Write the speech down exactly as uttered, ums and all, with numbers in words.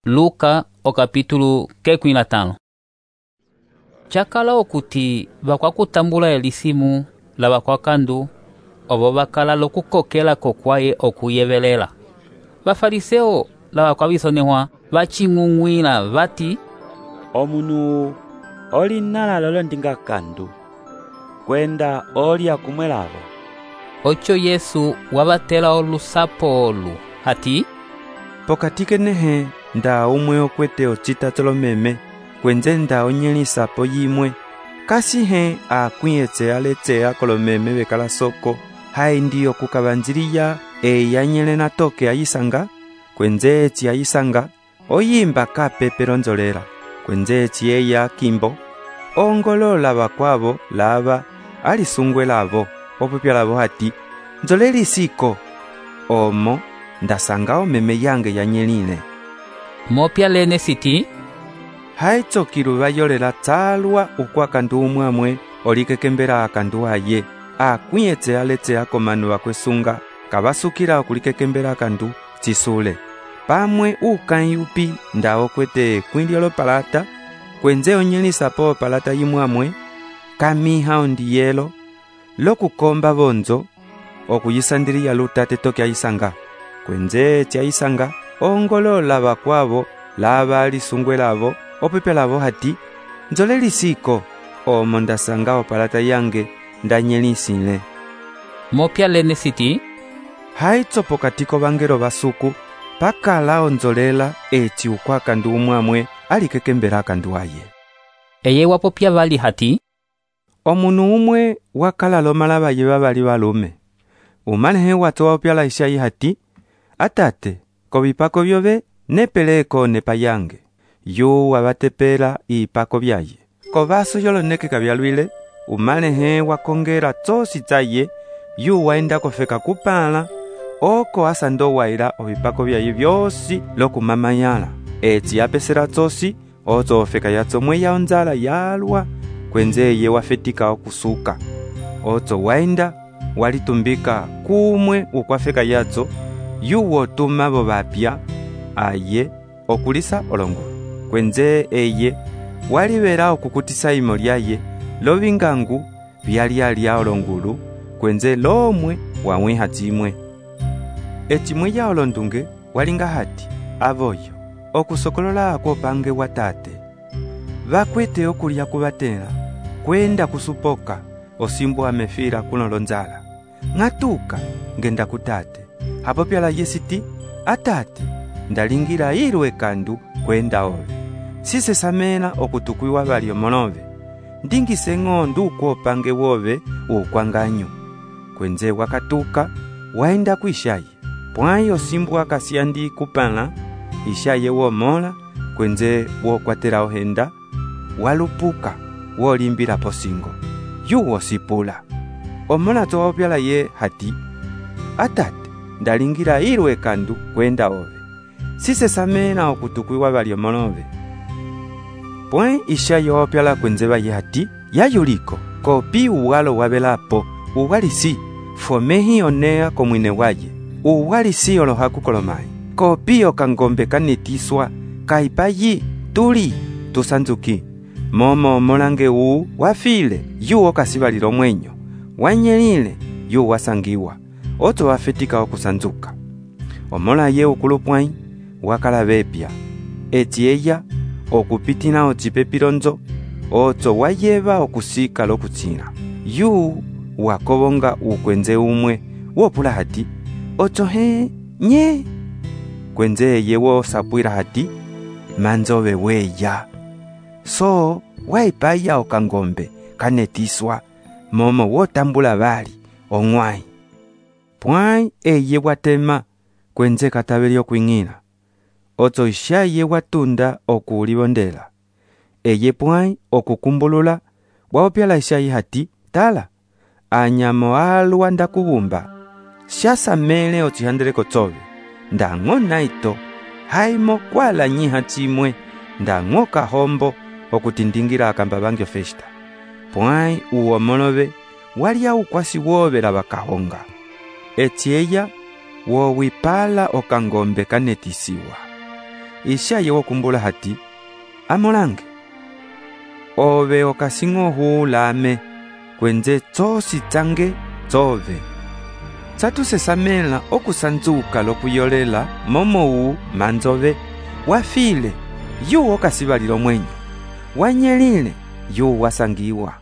Luka o capítulo kekwi na tano. Chakala okuti bakwakutambula elisimu la bakwakandu obo bakala lokukokela kokwaye okuyevelela. Bafariseo la bakwabisonehwa baching'ung'wila bati, omunu oli nala lolo ndinga kandu kwenda oli akumwelavo. Ocho Yesu wabatela olusapo olu hati, pokati kenehe nda umwe okwete ocita tolomeme kwenze nda onyelisapo yimwe kasi he akwiyetse aletsea kolomeme bekala soko hai ndiyo kukabanjiliya eyanyele na toke ayisanga kwenze echi ayisanga oyimba kapepero nzolera kwenze echi eya kimbo ongolola bakwabo laba alisungwe labo opupya labo hati nzoleli siko omo ndasangao meme yange yanyelile. Mopya lene siti, haitso kiruba yolela tsalwa ukwakandu umwamwe olikekembera akandu aye akwiyetse aletse akomanu bakwesunga kabasukira okulikekembera akandu tsisule pamwe ukanyupi ndao kwete kwindiolo palata kwenze onyelisapo palata yimwamwe kamiha ondiyelo lokukomba bonzo okuyisandiriya lutate toke ayisanga kwenze chayisanga ongolola bakwabo laba alisungwe labo opepe labo hati nzoleli siko omo ndasanga opalata yange ndanyelisile. Mopya lene siti, haitso pokatiko bangero basuku pakala onzolela echi ukwakandu umwamwe alikekembera akandu aye. Eye wapopya bali hati, omunu umwe wakala lomala baye babali balume umalehe watoa opyala ishayi hati, atate kobipako byobe nepeleko nepa yange yu wabatepela ipako byaye kobaso yoloneke kabyalwile umalehe wakongera tsosi tsaye yu waenda kofeka kupala oko asando waira obipako byaye byosi lokumamayala eti yapesera tsosi ozo ofeka yatso mwe ya onzala yalwa kwenze ye wafetika okusuka ozo waenda walitumbika kumwe ukwafeka yatso yuwo tumabo bapya aye okulisa olongulu kwenze eye walibera okukutisa imo lyaye lobingangu byali alya olongulu kwenze lomwe wamwiha timwe etimwe ya olondunge walinga hati aboyo okusokolola ako pange watate bakwete okulya kubatela kwenda kusupoka osimbo amefira kunolonzala ngatuka ngenda kutate hapo pyala yesiti atate ndalingira irwe kandu kwenda ove sise samena okutukwiwa balio monove ndingise ng'ondu ukwopange wove ukwanganyu kwenze wakatuka waenda kuishaye pwayo simbu akasiandi kupala ishaye womola kwenze wokwatera ohenda walupuka wolimbira posingo yuwo sipula omola towa pyala ye hati atate ndalingira irwe kandu kwenda ove sise samena okutukwiwa balio monove pwe ishaye opyala kwenze baye hati yayuliko kopi uwalo wabelapo uwalisi fomehi onea komwine waye uwalisi olohaku kolomai kopi okangombe kanetiswa kaipayi tuli tusanzuki momo molange uu wafile yu okasibalilo mwenyo wanyelile yu wasangiwa oto wafetika okusanzuka omola ye ukulupwai wakala bepya eti eya okupitina ochipepilonzo oto wayeba okusika lokutsina yu wakobonga ukwenze umwe wopula hati oto he nye kwenze yewo sapwira hati manzobe weya so waipaya okangombe kanetiswa momo wotambula bali ong'wai pwai eye watema kwenze katabeli okwing'ila oto ishaye watunda okulibondela eye pwai okukumbulula waopyala ishaye hati tala anyamo alwa ndakubumba shasamele ochihandele kotsobe ndang'o naito haimo kwala nyiha chimwe ndang'o kahombo okutindingira akamba bangyo festa pwai uwomolobe walya ukwasi wobela bakahonga eti eya wowipala okangombe kanetisiwa ishaye wokumbula hati, amolange. Ove okasing'ohu lame, kwenze tsosi tsange tsove. Tsatusesamela okusanzuka lokuyolela momowu manzove, wafile, yu okasibalilo mwenyo, wanyelile, yu wasangiwa.